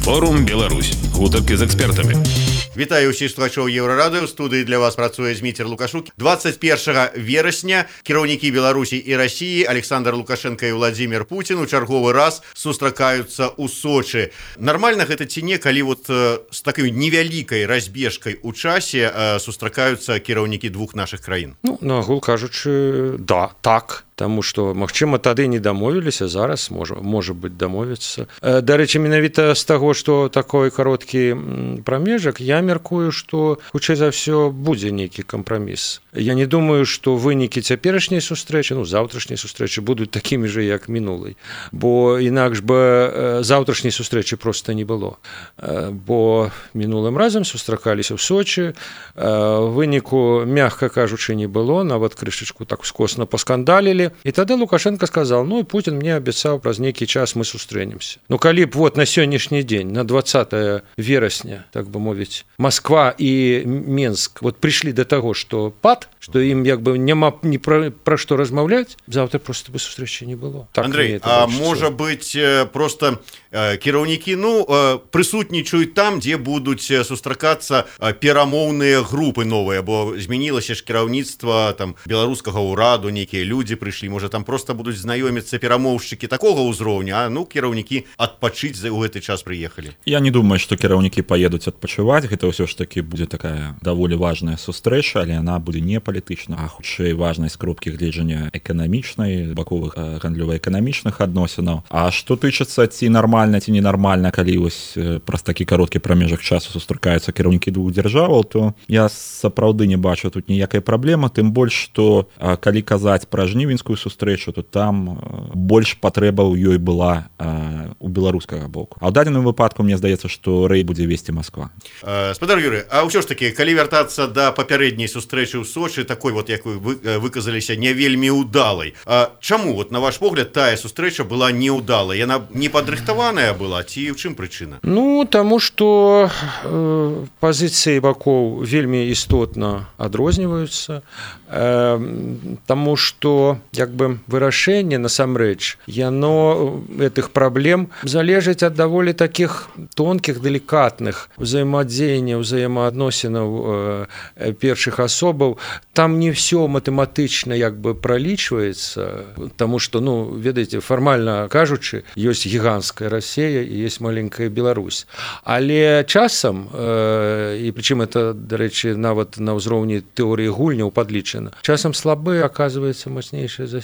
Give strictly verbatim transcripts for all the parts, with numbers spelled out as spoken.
Форум Беларусь. Гутарки з экспертамі. Вітаю ўсіх слухачоў Еўрарадыё. У студыі для вас працуе Зміцер Лукашук. двадцать первого верасня кіраўнікі Беларусі і России Александр Лукашенко і Владимир Путин у чарговы раз сустракаюцца ў Сочи. Нормально гэта ці не, калі вот с такой невялікай разбежкай у часе сустракаюцца кіраўнікі двух наших краін? Ну, на агул кажучы, да, так. Таму што, магчыма, тады не дамовіліся, зараз можа, можа быць дамовіцца. Дарэчы, менавіта з таго, што такой кароткі прамежак, я мяркую, што хутчэй за ўсё будзе нейкі кампраміс. Я не думаю, што вынікі цяперашняй сустрэчы, ну, заўтрашняй сустрэчы будуць такімі же, як мінулай. Бо інакш бы заўтрашняй сустрэчы проста не было. Бо мінулым разам сустракаліся ў Сочи, выніку, мягка кажучы, не было, нават крышачку так скосна паскандалілі. І тады Лукашенко сказал: ну, и Путин мне обещал, праз нейкі час мы сустрэнемся. Ну, калі б вот на сённяшні дзень, на двадцатое верасня, так бы мовіць, Москва і Менск вот пришли до того, что пад, что им як бы няма ні пра, пра што размаўляць, завтра просто бы сустрэчы не было. Так, Андрей, а можа быць просто кіраўнікі, ну, прысутнічаюць там, дзе будуць сустракацца перамоўныя групы новыя, бо змянілася ж кіраўніцтва там беларускага ўраду, нейкія людзі прыйшлі. Можа, там просто будуць знаёміцца перамоўшчыкі такога ўзроўня, а ну кіраўнікі адпачыць за ў гэты час прыехалі. Я не думаю, што кіраўнікі паедуць адпачываць. Гэта ўсё ж такі будзе такая даволі важная сустрэча, але яна будзе не палітычна, а хутчэй важнай з кропкі гледжання эканамічнай, баковых гандлёва-эканамічных адносінаў. А што тычыцца ці нармальна, ці ненармальна, калі вось праз такі кароткі прамежак часу сустракаюцца кіраўнікі двух дзяржаваў, то я сапраўды не бачу тут ніякай праблемы, тым больш, што калі казаць пра жнівеньскую сустрэчу, то там больш патрэба ў ёй была а, у беларускага боку. А ў дадзеным выпадку мне здаецца, што рэй будзе весці Москва. Спадар Юрый, а ўсё ж такі, калі вяртацца да папярэдняй сустрэчы ў Сочи, такой вот, як вы выказаліся, не вельмі ўдалай. А чаму, вот на ваш погляд, тая сустрэча была неўдалай? Яна не падрыхтаваная была, ці ў чым прычына? Ну, таму што э, пазіцыі бакоў вельмі істотна адрозніваюцца, э, таму што як бы вырашэнне насамрэч яно гэтых праблем залежыць ад даволі такіх тонкіх, далікатных узаемадзеянняў, узаемаадносінаў э, першых асобаў. Там не все матэматычна як бы пралічваецца, таму што, ну, ведаеце, фармальна кажучы, ёсць гіганцкая Расія і ёсць маленькая Беларусь. Але часам, э, і прычым это, дарэчы, нават на ўзроўні тэорыі гульняў падлічана, часам слабы аказваецца мацнейшы за,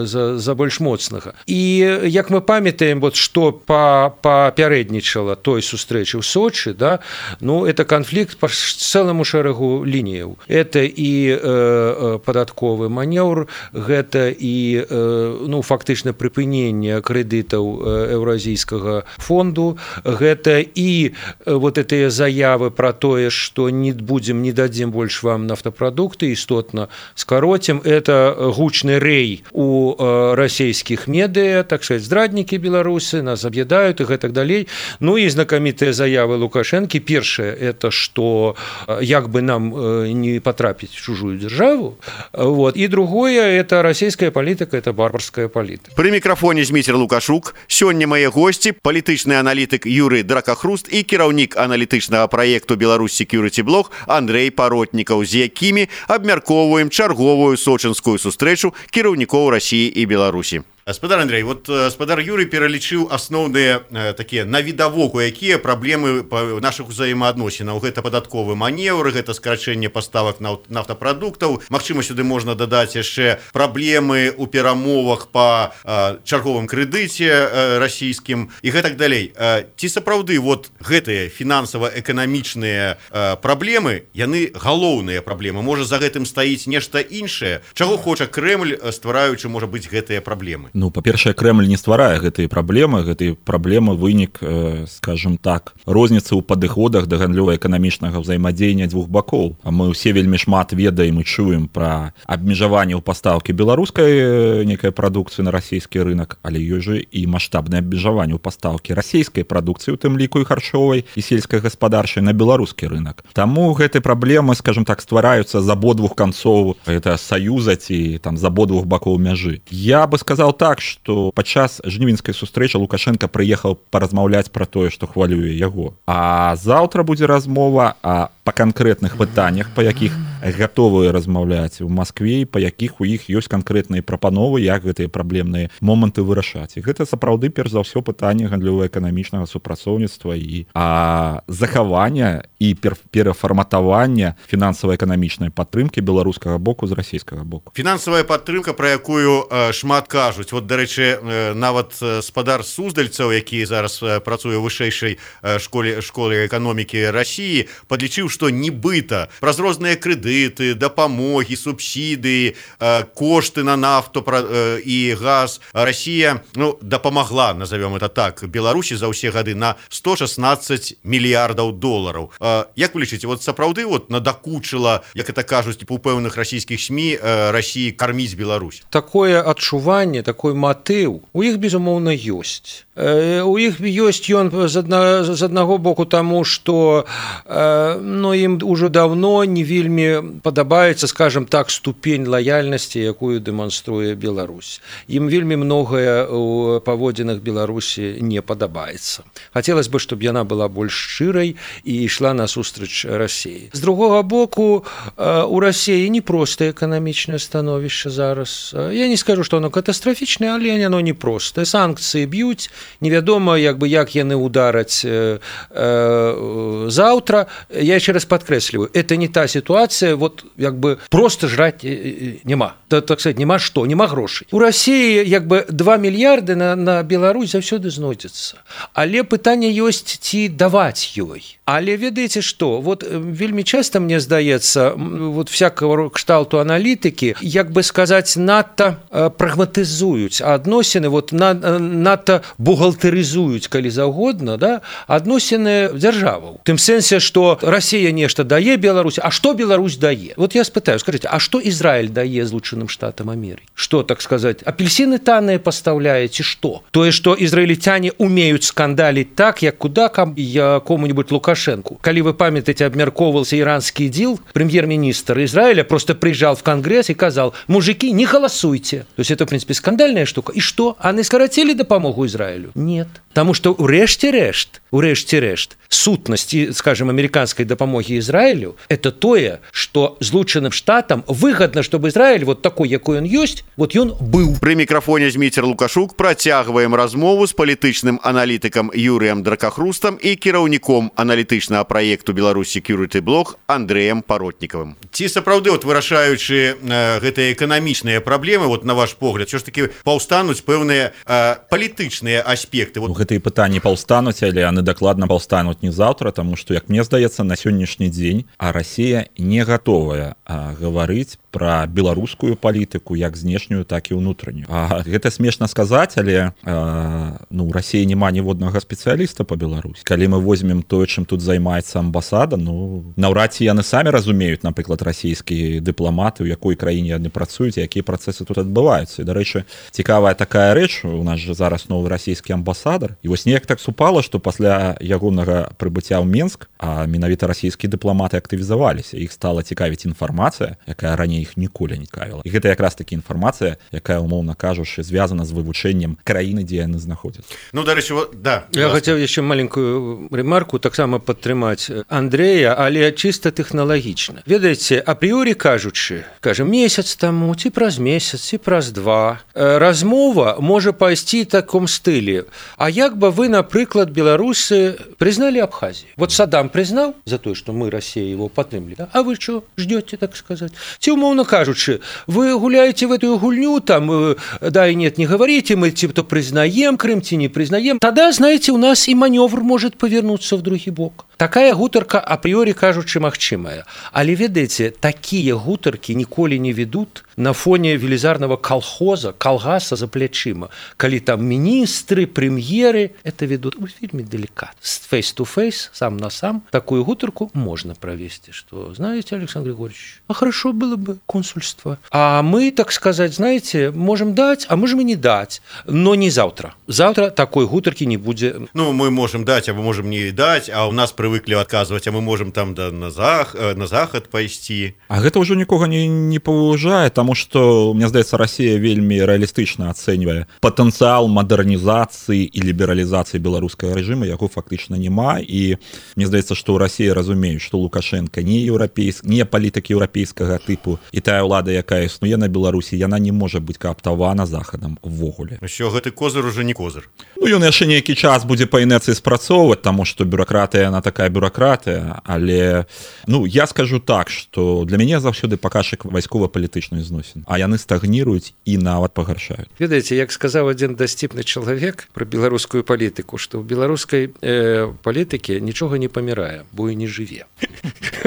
за, за больш моцнага. І як мы памятаем, вот, што папярэднічала той сустрэчы ў Сочи, да, ну, это канфлікт па цэламу шэрагу лініяў. Это і э, падатковы манеўр, гэта і э, ну, фактычна прыпыненне крэдытаў еўразійскага фонду, гэта і э, вот гэтыя заявы пра тое, што не будзем, не дадзім больш вам нафтапрадукты, істотна скароцім. Это гучны рэй у э, расійскіх медыа, так сказать, здраднікі беларусы нас аб'ядаюць і гэтак далей. Ну і знакамітыя заявы Лукашэнкі. Першае, это што э, як бы нам э, не потрапіць в чужую державу. Вот. І другое, это расійская палітыка, это барбарская палітыка. Пры мікрафоне Зміцер Лукашук. Сёння мае госці палітычны аналітык Юрый Дракахруст і кіраўнік аналітычнага праекту Беларусь Security Blog Андрей Паротнікаў, з якімі абмяркоўваем чарговую сочынскую сустрэчу кіраўнікоў Расіі і Беларусі. Спадар Андрей, вот спадар Юрый пералічыў асноўныя э, такія навідавоку, якія праблемы нашых узаемаадносінаў. Гэта падатковы манеўр, гэта скарачэнне паставак нафтапрадуктаў. Магчыма, сюды можна дадаць яшчэ праблемы ў перамовах па э, чарговым крэдыце э, расійскім і гэтак далей. Э, ці сапраўды вот гэтыя фінансава-эканамічныя э, праблемы, яны галоўныя праблемы? Можа, за гэтым стаіць нешта іншае? Чаго хоча Крэмль, ствараючы, можа быць, гэтыя праблемы? Ну, па-першае, Крэмль не стварае гэтыя праблемы. Гэтыя праблемы вынік, э, скажем так, розніцы ў падыходах да гандлёва-эканамічнага ўзаемадзеяння двух бакоў. А мы ўсе вельмі шмат ведаем і чуем пра абмежаванне ў пастаўкі беларускай некай прадукцыі на расійскі рынок, але ёсць жа і маштабнае абмежаванне ў пастаўкі расійскай прадукцыі, у тым ліку і харчовай, і сельскай гаспадарчай на беларускі рынок. Таму гэтыя праблемы, скажем так, ствараюцца з абодвух канцоў гэта саюза ці там з абодвух бакоў мяжы. Я бы сказал так, так, што падчас жнівеньскай сустрэчы Лукашенко прыехаў паразмаўляць пра тое, што хвалюе яго. А заўтра будзе размова а па канкрэтных пытаннях, па якіх гатовыя размаўляць у Маскве, па якіх у іх ёсць канкрэтныя прапановы, як гэтыя праблемныя моманты вырашаць. І гэта сапраўды перш за ўсё пытанне гандлёва-эканамічнага супрацоўніцтва і а, захавання і перафарматавання фінансава-эканамічнай падтрымкі беларускага боку з расійскага боку. Фінансавая падтрымка, пра якую э, шмат кажуць. Вот, дарэчы, э, нават спадар Суздальцаў, які зараз э, працуе ў вышэйшай э, школе школе эканомікі Расіі, падлічыў, што нібыта праз розныя крэдыты, дапамогі, субсідыі, э, кошты на нафту пра, э, і газ Расія ну, дапамагла, назовём это так, Беларусі за ўсе гады на сто шестнадцать мільярдаў долараў. Э, як вы лічыце, вот сапраўды вот надакучыла, як это кажуць у пэўных расійскіх СМІ, э, Расіі карміць Беларусь? Такое адчуванне, такой матыў у іх, безумоўна, ёсць. Э, у іх ёсць ён з, адна, з аднаго боку таму, што э, ну, ім ўжо даўно не вельмі падабаецца, скажем так, ступень лаяльнасці, якую дэманструе Беларусь. Ім вельмі многае у паводзінах Беларусі не падабаецца. Хацелася бы, чтобы яна была больш шчырай і ішла насустрач Расіі. З другога боку, у Расіі непростае эканамічнае становішча зараз. Я не скажу, што оно катастрафічнае, але оно непростае. Санкцыі б'юць, невядома, як бы, як яны удараць э, э, заўтра. Я еще раз подкресливаю, это не та ситуация, вот як бы просто жрать нема. Так, так сказать, нема что, нема грошей. У России як бы два мільярды на, на Беларусь заўсёды знойдзецца. Але пытанне ёсць, ці даваць ёй. Але ведаеце што, вот вельмі часто, мне здаецца, вот всякого кшталту аналітыкі, як бы сказаць, надта прагматызуюць адносіны, вот надта бухгалтарызуюць, калі заўгодна, да, адносіны дзяржаваў. Тым сэнсе, што Россия нешта дае Беларусь, а что Беларусь дае? Вот я спытаю, скажите, а что Израиль дае Злучаным Штатам Америки? Что, так сказать, апельсины танные поставляете, что? То есть, что израильтяне умеют скандалить так, як куда кому-нибудь Лукашенку. Коли вы памятаете, обмерковывался иранский дел, премьер-министр Израиля просто приезжал в Конгресс и сказал: мужики, не голосуйте. То есть, это, в принципе, скандальная штука. И что? Они скоротили допомогу Израилю? Нет. Потому что урэшце-рэшт, урэшце-рэшт, сутнасць, скажем, американской допомоги Израилю, это тое, что Злучаным Штатам выгодно, чтобы Израиль вот такой, якой он есть, вот ён быў. При микрофоне Зміцер Лукашук працягваем размову з палітычным аналітыкам Юрыем Дракахрустам і кіраўніком аналітычнага праекту Беларусь Security Block Андрэем Паротнікавым. Ці сапраўды, вот вырашаючы э, гэтыя эканамічныя праблемы, вот на ваш погляд, що ж таки паўстануць пэўныя э, палітычныя аспекты? Вот. Гэтыя пытанні паўстануць, але яны дакладна паўстануць не заўтра, таму што, як мне здаецца, на сённяшні дзень а Расія не гатовая а, гаварыць пра беларускую палітыку як знешнюю, так і ўнутраннюю. А гэта смешна сказаць, але а, ну, у Расіі няма ніводнага спецыяліста па Беларусі. Калі мы возьмем тое, чым тут займаецца амбасада, ну, наўрад ці яны самі разумеюць, напрыклад, расійскія дыпламаты, у якой краіне яны працуюць, якія працэсы тут адбываюцца. І, дарэчы, цікавая такая рэч, у нас же зараз новы расійскі амбасадар. І вось неяк так супала, што пасля ягонага прыбыцця ў Менск, а менавіта расійскія дыпламаты актывізаваліся. Іх стала цікавіць інфармацыя, якая раней іх ніколі не цікавіла. І гэта якраз таки інфармацыя, якая, умоўна кажучы, звязана з вывучэннем краіны, дзе яны знаходзяцца. Ну, дарэчы, вот, да. Я хацеў яшчэ маленькую ремарку таксама падтрымаць Андрэя, але чыста тэхналагічна. Ведаеце, апрыёрі кажучы, кажам, месяц таму, ці праз месяц, ці праз два, размова можа пайсці таком стылі. А як бы вы, напрыклад, беларусы признали Абхазию? Вот Саддам признал за то, что мы, Россия, его подтримали, да? А вы что, ждете, так сказать? Те, умовно кажучи, вы гуляете в эту гульню, там, да и нет, не говорите, мы типа признаем Крым, те не признаем. Тогда, знаете, у нас и маневр может повернуться в другой бок. Такая гутарка апрыёрі кажучы магчымая. Але ведаеце, такія гутаркі ніколі не ведут на фоне велізарнага колхоза, калгаса за плячыма. Калі там міністры, прэм'еры, это ведут вельмі деликатно. Face-to-face, сам на сам, такую гутарку можно провести. Что, знаете, Александр Григорьевич, а хорошо было бы консульство. А мы, так сказать, знаете, можем дать, а можем и не дать. Но не завтра. Завтра такой гутарки не будет. Ну, мы можем дать, а мы можем не дать, а у нас при привыклі адказваць, а мы можем там да, на, зах, на захад пайсці. А гэта ўжо нікога не, не паважае, таму што, мне здаецца, Расія вельмі рэалістычна ацэньвае патэнцыял мадэрнізацыі і лібералізацыі беларускага рэжыма, яго фактычна няма, і мне здаецца, што ў Расіі разумеюць, што Лукашенко не еўрапейск, не палітык еўрапейскага тыпу, і тая ўлада, якая існуе на Беларусі, яна не можа быць кааптавана захадам увогуле. Що гэты козыр уже не козыр. Ну, ён яшчэ нейкі час будзе па інерцыі спрацоўваць, таму што бюракратыя, яна такая бюракратыя, але, ну, я скажу так, што для мяне заўсёды паказчык вайскова-палітычных зносін, а яны стагніруюць і нават пагаршаюць. Ведаеце, як сказаў адзін дасціпны чалавек пра беларускую палітыку, што ў беларускай э, палітыкі нічога не памірае, бо і не жыве.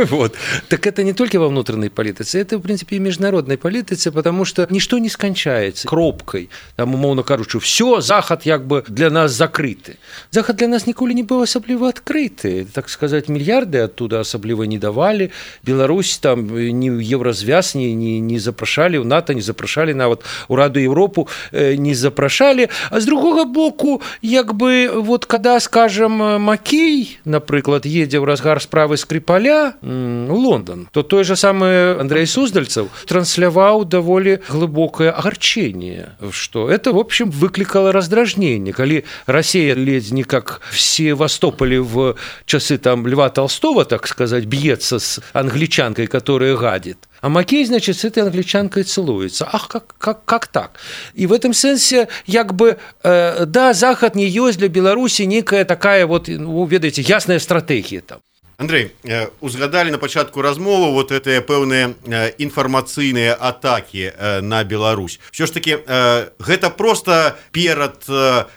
Вот. Так это не только во внутренней политике, это, в принципе, и международной политике, потому что ничто не скончается кропкой. Там, умовно кажучи, все, Захад как бы для нас закрыты. Захад для нас николи не был особливо открыты. Так сказать, миллиарды оттуда особливо не давали. Беларусь там ни в Еврозвяз не, не, не запрошали, в НАТО не запрошали, на вот у Раду Европу э, не запрошали. А с другого боку, как бы, вот когда, скажем, Макей, например, едет в разгар справы Скрипаля в Лондон, то той же самый Андрей Суздальцев трансляваў даволі глубокое огорчение, что это, в общем, выкликало раздражнение. Коли Россия ледь не как в Севастополе в часы там Льва Толстого, так сказать, бьется с англичанкой, которая гадит, а Макей, значит, с этой англичанкой целуется. Ах, как, как, как так? И в этом сенсе, как бы, э, да, Захад не есть для Беларуси некая такая вот, ну, ведаеце, ясная стратегия там. Андрей, узгадали на пачатку размовы вот гэтыя пэўныя інфармацыйныя атакі на Беларусь. Все ж таки, гэта просто перад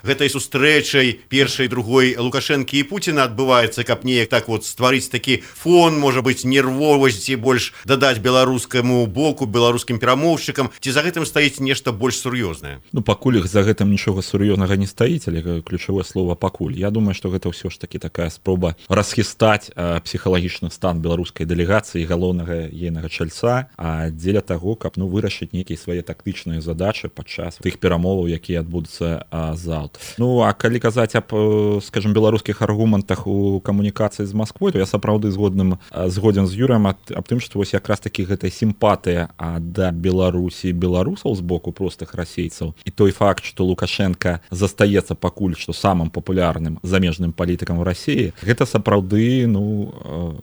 гэтай сустрэчай першай, другой Лукашэнкі і Пуціна адбываецца, каб неяк так вот стварыць такі фон, можа быць, нервовасці, больш дадаць беларускаму боку, беларускім перамоўшчыкам, ці за гэтым стаіць нешта больш сур'ёзнае? Ну, пакуль іх за гэтым нічога сур'ёзнага не стаіць, але ключавое слово «пакуль». Я думаю, што гэта ўсё ж такі такая спроба расхістаць псіхалагічны стан беларускай дэлегацыі, галоўнага ейнага чальца, а дзеля таго, каб, ну, вырашыць нейкія свае тактычныя задачы падчас тых перамоваў, якія адбудуцца заўтра. Ну, а калі казаць аб, скажем, беларускіх аргументах у камунікацыі з Масквой, то я сапраўды згодным згодзен з Юрыем аб, аб тым, што вось якраз такі гэтая сімпатыя да Беларусі, беларусаў з боку простых расейцаў, і той факт, што Лукашенко застаецца пакуль што самым папулярным замежным палітыкам у Расіі, гэта сапраўды, ну,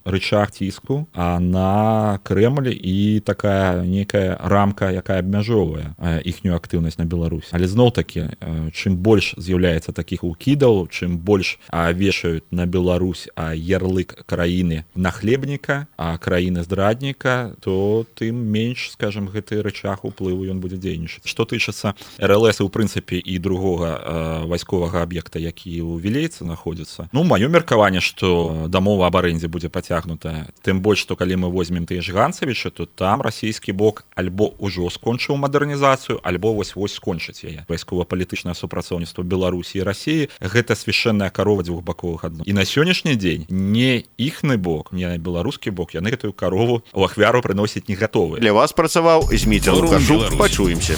рычаг ціску на Крэмль і такая некая рамка, якая абмяжоўвае іхнюю актыўнасць на Беларусь. Але зноў-такі, чым больш з'яўляецца такіх укідаў, чым больш вешаюць на Беларусь ярлык краіны нахлебніка, а краіны здрадніка, то тым менш, скажем, гэты рычаг уплыву ён будзе дзейнічаць. Што тычыцца эр эл эс, у прынцыпе, і другога вайсковага аб'екта, які ў Вілейцы знаходзіцца, ну, маё меркаванне, што дамова аб арендзе будзе пацягнутая. Тым больш, што калі мы возьмем тыя ж Ганцавіча, то там расійскі бок альбо ўжо скончыў мадэрнізацыю, альбо вось-вось скончыць яе. Вайскова-палітычнае супрацоўніцтва Беларусі і Расіі — гэта свяшчэнная карова дзвюхбаковых адно. І на сённяшні дзень не іхны бок, не беларускі бок, яны гэтую карову ў ахвяру прыносіць не гатовыя. Для вас працаваў Зміцер Лукашук. Пачуемся.